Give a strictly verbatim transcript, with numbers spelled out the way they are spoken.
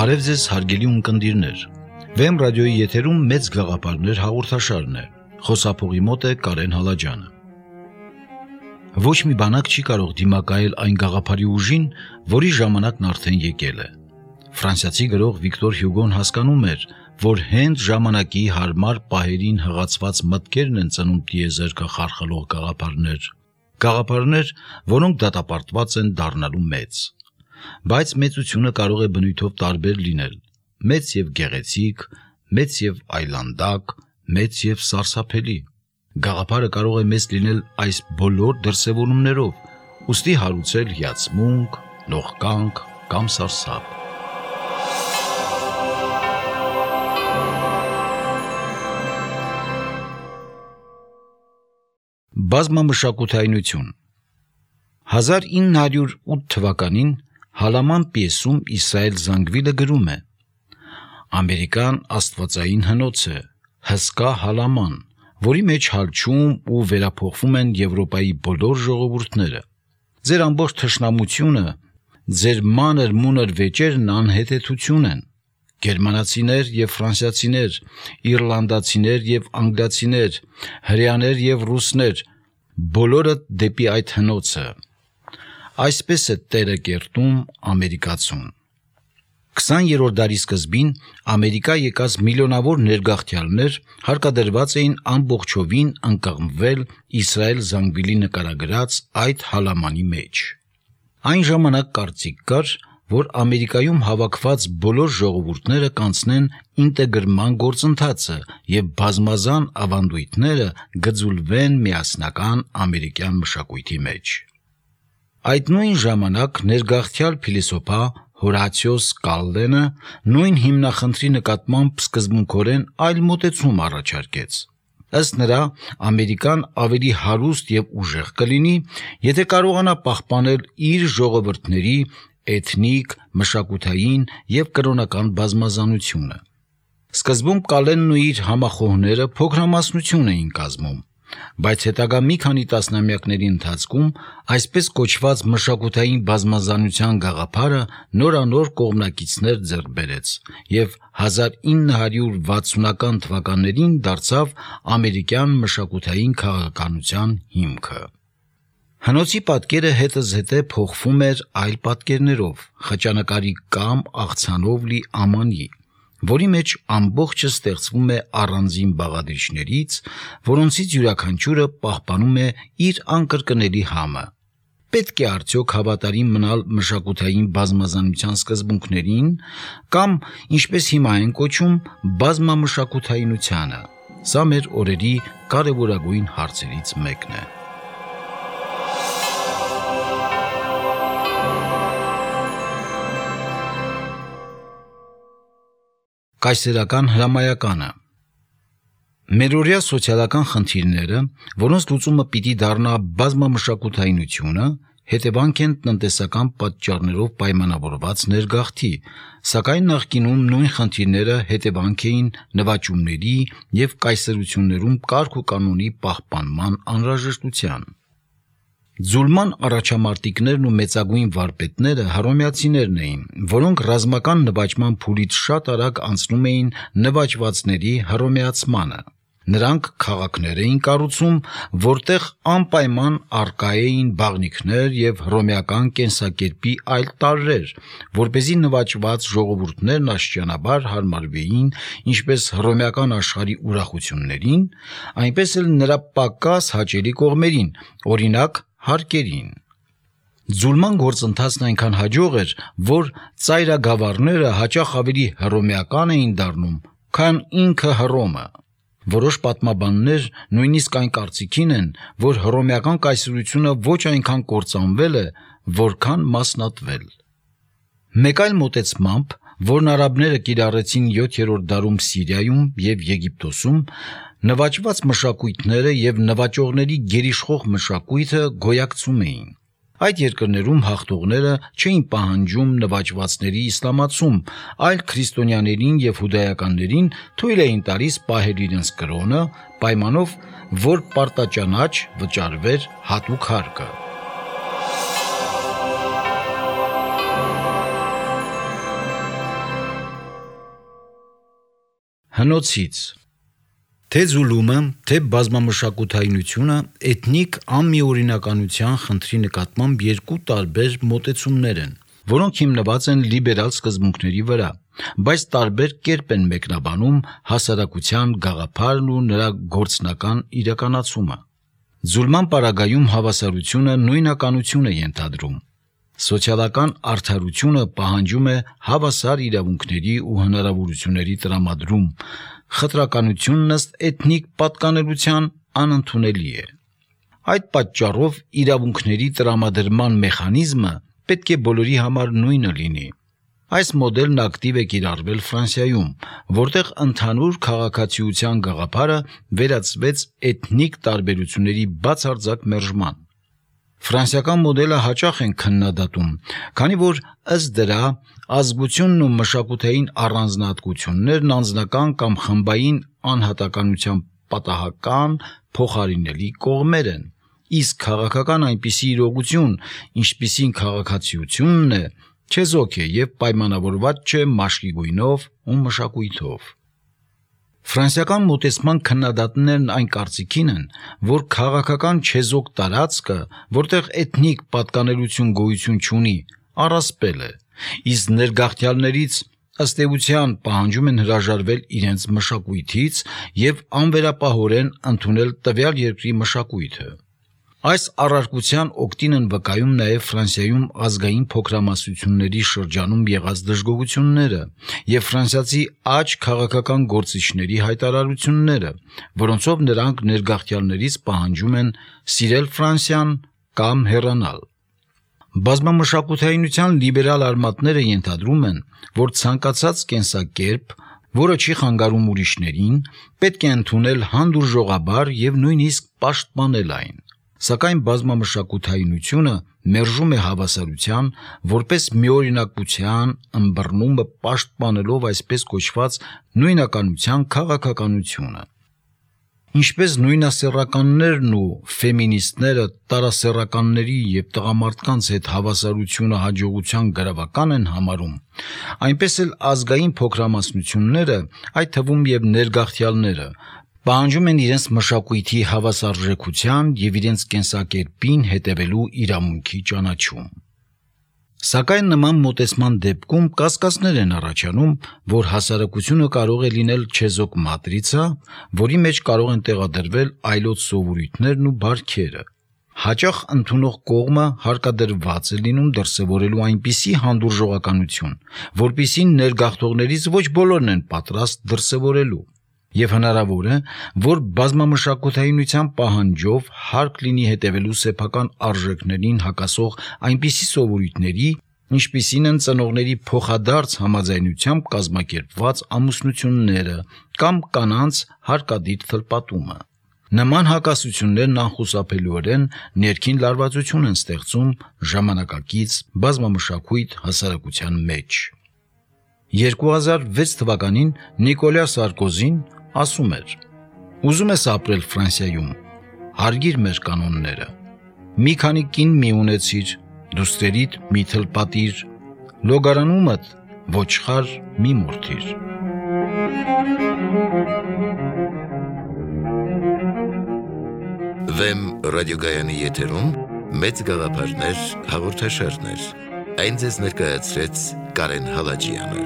Բարև ձեզ հարգելի ունկնդիրներ, Վեմ ռադիոյի եթերում մեծ գաղափարներ հաղորդաշարն է, խոսափողի մոտ է Կարեն Հալաջյանը։ Ոչ մի բանակ չի կարող դիմակայել այն գաղափարի ուժին, որի ժամանակն արդեն եկել է։ Ֆրանսիացի գրող Վիկտոր Հյուգոն հասկանում էր, որ հենց ժամանակի հարմար պահերին հղացված մտքերն են ծնում տիեզերքը խարխլող գաղափարներ, գաղափարներ, որոնք դատապարտված են դառնալու մեծ։ Բայց մեծությունը կարող է բնույթով տարբեր լինել, մեծ եւ գեղեցիկ, մեծ եւ այլանդակ, մեծ եւ սարսափելի։ Գաղափարը կարող է մեծ լինել այս բոլոր դրսևորումներով, ուստի հարուցել հիացմունք, նողկանք կամ սարսափ։ Բազմամշակութայնություն հազար ինը հարյուր ութ թվականին Հալաման պիեսում Իսրայել Զանգվիլը գրում է. «Ամերիկան աստվածային հնոց է, հսկա Հալաման, որի մեջ հալչում ու վերափոխվում են Եվրոպայի բոլոր ժողովուրդները։ Ձեր ամբողջ թշնամությունը, ձեր մանր մունր վեճերն անհետեթություն են։ Գերմանացիներ եւ ֆրանսիացիներ, իռլանդացիներ եւ անգլիացիներ, հրեաներ եւ ռուսներ, բոլորը դեպի այդ հնոցը։ Այսպես է Տերը կերտում ամերիկացուն»։ քսաներորդ դարի սկզբին Ամերիկա եկած միլիոնավոր ներգաղթյալներ հարկադրված էին ամբողջովին ընկղմվել Իսրայել Զանգվիլի նկարագրած այդ հալամանի մեջ։ Այն ժամանակ կարծիք կար, որ Ամերիկայում հավաքված բոլոր ժողովուրդները կանցնեն ինտեգրման գործընթացը եւ բազմազան ավանդույթները գծուլվեն միասնական ամերիկյան մշակույթի մեջ։ Այդ նույն ժամանակ ներգաղթյալ փիլիսոփա Հորացիոս Կալլենը նույն հիմնախնդրի նկատմամբ սկզբունքորեն այլ մոտեցում առաջարկեց։ Ըստ նրա, Ամերիկան ավելի հարուստ եւ ուժեղ կլինի, եթե կարողանա պահպանել իր ժողովուրդների էթնիկ, մշակութային եւ կրոնական բազմազանությունը։ Սկզբում Կալենն ու իր համախոհները փոքրամասնություն էին կազմում, բայց հետագա մի քանի տասնամյակների ընթացքում այսպես կոչված մշակութային բազմազանության գաղափարը նորանոր կողմնակիցներ ձեռք բերեց եւ հազար ինը հարյուր վաթսունական թվականներին դարձավ ամերիկյան մշակութային քաղաքականության հիմքը։ Հնոցի պատկերը հետզհետե փոխվում էր այլ պատկերներով, խճանկարի կամ աղցանով լի ամանի, որի մեջ ամբողջը ստեղծվում է առանձին բաղադրիչներից, որոնցից յուրաքանչյուրը պահպանում է իր անկրկնելի համը։ Պետք է արդյոք հավատարիմ մնալ մշակութային բազմազանության սկզբունքներին կամ, ինչպես հիմա են կոչում, բազմամշակութայնությանը։ Սա մեր օրերի կարևորագույն հարցերից մեկն է։ Կայսերական հրամայականը Մերօրյա սոցիալական խնդիրները, որոնց լուծումը պիտի դառնա բազմամշակութայնությունը, հետևանք են տնտեսական պատճառներով պայմանավորված ներգաղթի, սակայն նախկինում նույն խնդիրները հետևանք էին նվաճումների եւ կայսրություններում կարգ ու կանոնի պահպանման անհրաժեշտության։ Ձուլման առաջամարտիկներն ու մեծագույն վարպետները հռոմեացիներն էին, որոնք ռազմական նվաճման փուլից շատ արագ անցնում էին նվաճվածների հռոմեացմանը։ Նրանք քաղաքներ էին կառուցում, որտեղ անպայման առկա էին բաղնիքներ եւ հռոմեական կենսակերպի այլ տարրեր, որպեսզի նվաճված ժողովուրդներն աստիճանաբար հարմարվեին ինչպես հռոմեական աշխարհի ուրախություններին, այնպես էլ նրա պակաս հաճելի կողմերին, օրինակ հարկերին։ Ձուլման գործընթացն այնքան հաջող էր, որ ծայրագավառները հաճախ ավելի հռոմեական էին դառնում, քան ինքը Հռոմը։ Որոշ պատմաբաններ նույնիսկ այն կարծիքին են, որ հռոմեական կայսրությունը ոչ այնքան կործանվել է, որքան մասնատվել։ Մեկ այլ մոտեցմամբ, որն արաբները կիրառեցին յոթերորդ դարում Սիրիայում եւ Եգիպտոսում, նվաճված մշակույթները եւ նվաճողների գերիշխող մշակույթը գոյակցում էին։ Այդ երկրներում հաղթողները չէին պահանջում նվաճվածների իսլամացում, այլ քրիստոնյաներին եւ հուդայականներին թույլ էին տալիս պահել իրենց կրոնը, պայմանով, որ պարտաճանաչ վճարվեր հատուկ հարկը։ հնոցից։ Թե զուլումը, թե բազմամշակութայնությունը էթնիկ անմիօրինականության խնդրի նկատմամբ երկու տարբեր մոտեցումներ են, որոնք հիմնված են լիբերալ սկզբունքների վրա, բայց տարբեր կերպ են մեկնաբանում հասարակության գաղափարն ու նրա գործնական իրականացումը։ Զուլման պարագայում հավասարությունը նույնականություն է ենթադրում։ Սոցիալական արդարությունը պահանջում է հավասար իրավունքների ու հնարավորությունների տրամադրում, խտրականությունն ըստ էթնիկ պատկանելության անընդունելի է։ Այդ պատճառով իրավունքների տրամադրման մեխանիզմը պետք է բոլորի համար նույնը լինի։ Այս մոդելն ակտիվ է կիրառվել Ֆրանսիայում, որտեղ ընդհանուր քաղաքացիության գաղափարը վերածվեց էթնիկ տարբերությունների բացարձակ մերժման։ Ֆրանսիական մոդելը հաճախ են քննադատում, քանի որ ըստ դրա ազգությունն ու մշակութային առանձնահատկություններն անձնական կամ խմբային անհատականության պատահական փոխարինելի կողմեր են, իսկ քաղաքական այնպիսի իրողություն, ինչպիսին քաղաքացիությունն է, չեզոք է և պայմանավորված չէ մաշկի գույնով ու մշակույթով։ Ֆրանսիական մոտեցման քննադատներն այն կարծիքին են, որ քաղաքական չեզոք տարածքը, որտեղ էթնիկ պատկանելություն գոյություն չունի, առասպել է, իսկ ներգաղթյալներից ըստ էության պահանջում են հրաժարվել իրենց մշակույթից և անվերապահորեն ընդունել տվյալ երկրի մշակույթը։ Այս առարկության օգտին են վկայում նաև Ֆրանսիայում ազգային փոքրամասնությունների շրջանում եղած դժգոհությունները և ֆրանսիացի աջ քաղաքական գործիչների հայտարարությունները, որոնցով նրանք ներգաղթյալներից պահանջում են սիրել Ֆրանսիան կամ հեռանալ։ Բազմամշակութայնության լիբերալ արմատները ենթադրում են, որ ցանկացած կենսակերպ, որը չի խանգարում ուրիշներին, պետք է ընդունել հանդուրժողաբար և նույնիսկ պաշտպանել այն։ Սակայն բազմամշակութայնությունը մերժում է հավասարության որպես միօրինակության ըմբռնումը պաշտպանելով այսպես կոչված նույնականության քաղաքականությունը։ Ինչպես նույնասեռականներն ու ֆեմինիստները տարասեռականների և տղամարդկանց հետ հավասարությունը հաջողության գրավական են համարում, այնպես էլ ազգային փոքրամասնությունները, այդ թվում և ներգաղթյալները, պահանջում են իրենց մշակույթի հավասարժեքության և իրենց կենսակերպին հետևելու իրավունքի ճանաչում։ Սակայն նման մոտեցման դեպքում կասկածներ են առաջանում, որ հասարակությունը կարող է լինել չեզոք մատրիցա, որի մեջ կարող են տեղադրվել այլոց սովորույթներն ու բարքերը։ Հաճախ ընդունող կողմը հարկադրված է լինում դրսևորելու այնպիսի հանդուրժողականություն, որպիսին ներգաղթողներից ոչ բոլորն են պատրաստ դրսևորելու, և հնարավոր է, որ բազմամշակութայնության պահանջով հարկ լինի հետևելու սեփական արժեքներին հակասող այնպիսի սովորույթների, ինչպիսին են ծնողների փոխադարձ համաձայնությամբ կազմակերպված ամուսնությունները կամ կանանց հարկադիր թլպատումը։ Նման հակասություններն անխուսափելիորեն ներքին լարվածություն են ստեղծում ժամանակակից բազմամշակույթ հասարակության մեջ։ երկու հազար վեց թվականին Նիկոլյա Սարկոզին ասում էր. «Ուզում ես ապրել Ֆրանսիայում, հարգիր մեր կանոնները, մի քանի կին մի ունեցիր, դուստրերիդ մի թլպատիր, լոգարանումդ ոչխար մի մորթիր»։ Վեմ ռադիոգայանի եթերում մեծ գաղափարներ հաղորդաշարներ։ Այն ձեզ ներկայացրեց Կարեն Հալաջյանը։